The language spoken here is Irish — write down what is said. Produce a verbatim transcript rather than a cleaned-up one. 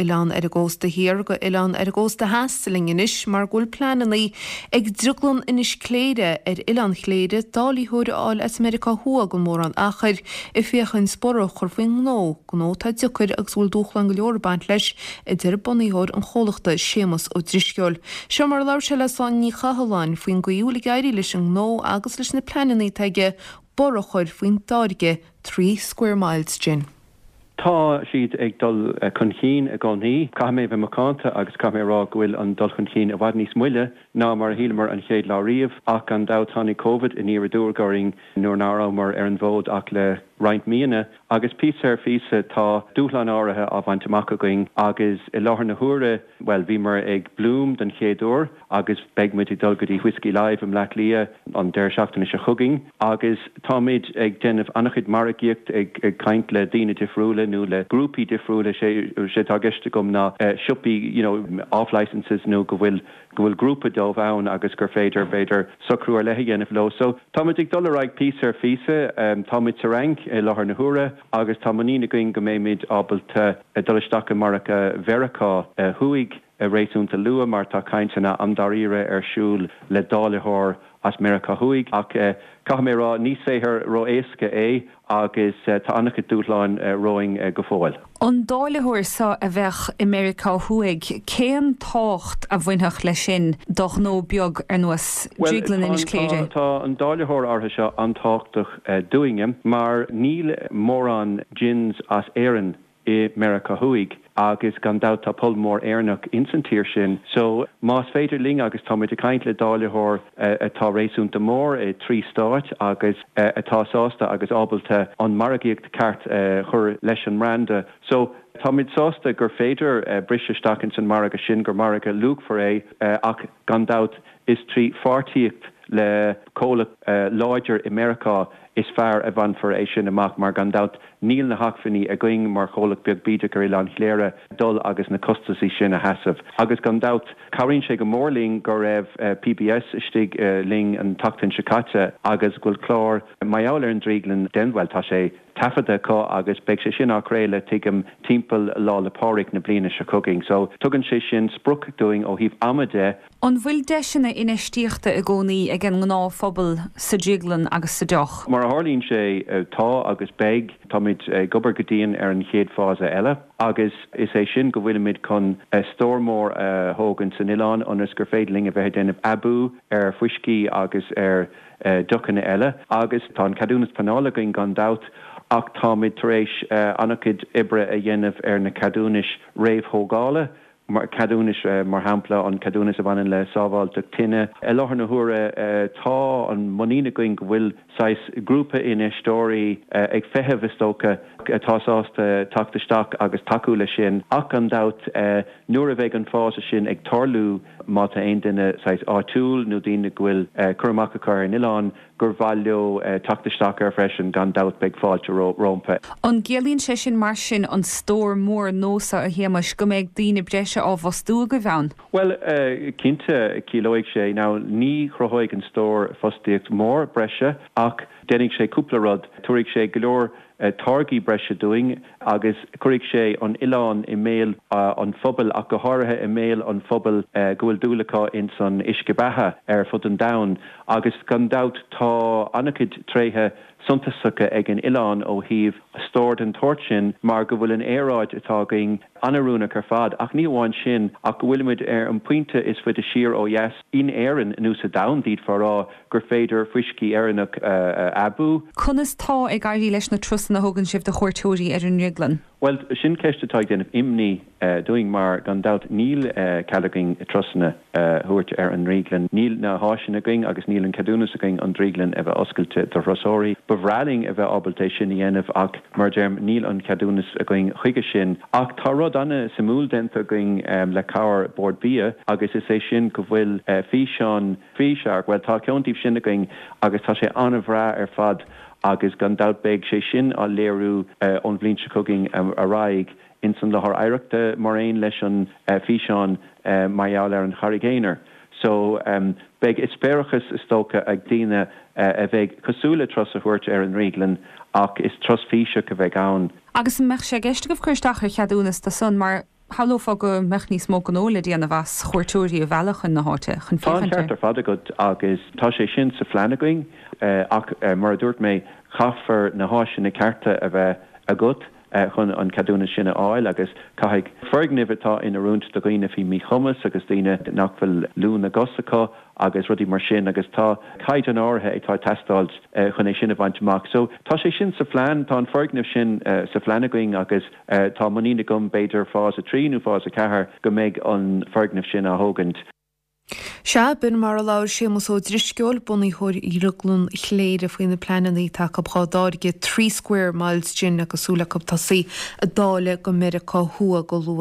oileán ar an gcósta thiar go oileán ar an gcósta theas linn anois mar go bhfuil pleananna ag Drioglann Inis Cléire ar Oileán Chléire dáilitheoir a fháil as Meiriceá Thuaidh gan mórán achair ag féachaint borradh a chur faoin ngnó, gnó atá deacair agus bhfuil dúshláin go leor ag baint leis, a deir bunaitheoir an chomhlachta Séamus Ó Drisceoil. Seo mar a labhair sé le Sláine Ní Chathalláin faoin gcaoi a bhfuil ag éirí leis an ngnó agus leis na pleananna atá aige borradh a chur faoin dtáirge Three Square Miles Gin. Tá siad ag dul chun cinn i gcónaí. Caithfidh mé bheith macánta agus caithfidh mé a rá go bhfuil an dul chun cinn i bhfad níos moille ná mar a shíleamar an chéad lá riamh ach gan dabht tháinig Covid aniar aduaidh orainn nuair nach rabhamar ar an bhfód ach le roinnt míonna agus píosa ar phíosa tá dúshlán áirithe á bhaint amach againn agus i láthair na huaire well bhíomar ag Bloom den chéad uair agus beidh muid ag dul go dtí Whiskey Live i mBleá Cliath an deireadh seachtaine seo chugainn agus táimid ag déanamh an-chuid margaíocht ag ag caint le daoine difriúla nó le grúpaí difriúla sé sé tá i gceist agam ná siopaí you know off licenses nó go bhfuil go bhfuil grúpa dóibh ann agus gur féidir b'fhéidir socrú ar leith a dhéanamh leo. So táimid ag dul ar aghaidh píosa ar phíosa um, táimid sa Fhrainc i láthair na huaire agus tá muinín againn go mbeimid ábalta dul isteach i margadh Mheiriceá Thuaidh réasúnta luath mar tá cainteanna an-dáiríre ar siúl le dáilitheoir as Meiriceá Thuaidh ach caithfidh mé rá ní saothar ró-éasca é agus tá an-chuid dúshláin romhainn go fóill. An dáilitheoir seo a bheadh i Meiriceá Thuaidh, cén tábhacht a bhainfeadh leis sin do ghnó beag ar nós Drioglann Inis Cléire? Tá an dáilitheoir áirithe seo an-tábhachtach dúinne mar níl mórán gins as Éirinn i Meiriceá Thuaidh agus gan dabht tá pobal mór Éireannach ins an tír sin. So más féidir linn agus táimid ag caint le dáilitheoir atá réasúnta mór i trí stáit agus atá sásta agus ábalta an margaíocht ceart chur leis an mbranda. So táimid sásta gur féidir briseadh isteach ins an margadh sin gur margadh luachmhar é ach gan dabht is trí pháirtíocht le comhlacht láidir i Meiriceá is fearr a bhainfear é sin amach mar gan dabht níl na hacmhainní againn mar chomhlacht beag bídeach ar Oileán Chléire dul agus na costaisí sin a sheasamh. Agus gan dabht cabhraíonn sé go mór linn go raibh PBS istigh linn an tseachtain seo caite agus go bhfuil clár mar gheall ar an drioglann den bhuel tá sé taifeadta acu agus beidh sé sin á chraoladh tuigim timpeall Lá 'le Pádraig na bliana seo chugainn. So tugann sé sin sprioc dúinn ó thaobh ama de. An bhfuil deiseanna infheistíochta i gcónaí ag an ngnáthphobal sa drioglann agus sa deoch? Mar a tharlaíonn sé tá agus beidh táimid ag obair go dian ar an chéad fása eile agus is é sin go bhfuilimid chun stór mór a thógaint san oileán ionas gur féidir linn a bheith ag déanamh aibiú ar fuiscí agus ar deochanna eile agus tá an ceadúnas pleanála againn gan dabht ach táimid tar éis an-chuid oibre a dhéanamh ar na ceadúnais réamhthógála ceadúnais mar shampla an ceadúnas a bhaineann le sábháilteacht tine. I láthair na huaire tá an muinín againn go bhfuil saghas grúpa infheisteoirí ag feitheamh is dócha atá sásta teacht isteach agus tacú leis sin ach gan dabht nuair a bheidh an fása sin ag tarlú má tá aon duine saghas áitiúil nó daoine go bhfuil cur amach acu ar an oileán gur mhaith leo teacht isteach air freisin gan dabht beidh fáilte rompu. An gciallaíonn sé sin mar sin an stór mór nua seo a Shéamais go mbeidh daoine breise á bhfostú agaibh ann? Well cinnte ciallóidh sé now ní chruthóidh an stór fostaíocht mór breise ach déanfaidh sé cúpla rud, tabharfaidh sé go leor táirgí breise dúinn agus cuirfidh sé an oileán i mbéal an phobail ach go háirithe i mbéal an phobail go bhfuil dúil acu ins an uisce beatha ar fud an domhain agus gan dabht tá an-chuid tréithe suntasacha ag an oileán ó thaobh stór den tsórt sin mar go bhfuil an aeráid atá againn an-oiriúnach ar fad ach ní amháin sin ach go bhfuilimid ar an pointe is faide siar ó dheas in Éirinn nó sa domhan d'fhéadfá a rá gur féidir fuiscí Éireannach a aibiú. Conas tá ag éirí leis na turasanna a thugann sibh do chuairteoirí ar an drioglann? Well sin ceist atá ag déanamh imní dúinn mar gan dabht níl cead againn turasanna a thabhairt ar an drioglann. Níl na háiseanna againn agus níl an ceadúnas againn an drioglann a bheith oscailte do thurasóirí. Ba bhreá linn a bheith ábalta é sin a dhéanamh ach mar deirim níl an ceadúnas againn chuige sin. Ach tá rud an-suimiúil déanta againn le cabhair Bord Bia agus is é sin go bhfuil físeán físeach, well tá ceann díobh sin againn agus tá sé an-bhreá ar fad agus gan dabht beidh sé sin á léiriú ón bhliain seo chugainn ar aghaidh ins an láthair oidhreachta mar aon leis an físeán mar gheall ar an Charraig Aonair. So um, beidh eispéireas is dócha ag daoine a bheidh cosúil le turas a thabhairt ar an drioglann ach is turas físeach a bheidh ann. Agus an mbeadh sé i gceist agaibh cur isteach ar cheadúnas dó san mar Shamhlófá go mbeadh níos mó gnó le déanamh as chuairteoirí a mhealladh chun na háite chun Tá an féachaint ceart air. ar fad agat agus tá sé sin sa phlean againn ach mar a dúirt mé caithfear na háiseanna cearta a bheith agat chun an ceadúnas sin a fháil agus caithfidh foirgnimh atá in oiriúint do dhaoine faoi mhíchumas agus daoine nach bhfuil lúth na gcos acu agus rudaí mar sin agus tá caighdeán áirithe atá ag teastáil chun é sin a bhaint amach. So tá sé sin sa phlean, tá an foirgneamh sin sa phlean againn agus tá muinín agam b'fhéidir fás a trí nó fás a ceathair go mbeidh an foirgneamh sin á thógaint. Sea, b'in mar a labhair Séamus Ó Drisceoil, bunaitheoir Dhrioglann Chléire faoi na pleananna atá acu dhá dtáirgeadh Three Square Miles Gin agus súil acu tosaí ag dáileadh go Meiriceá Thuaidh go luath.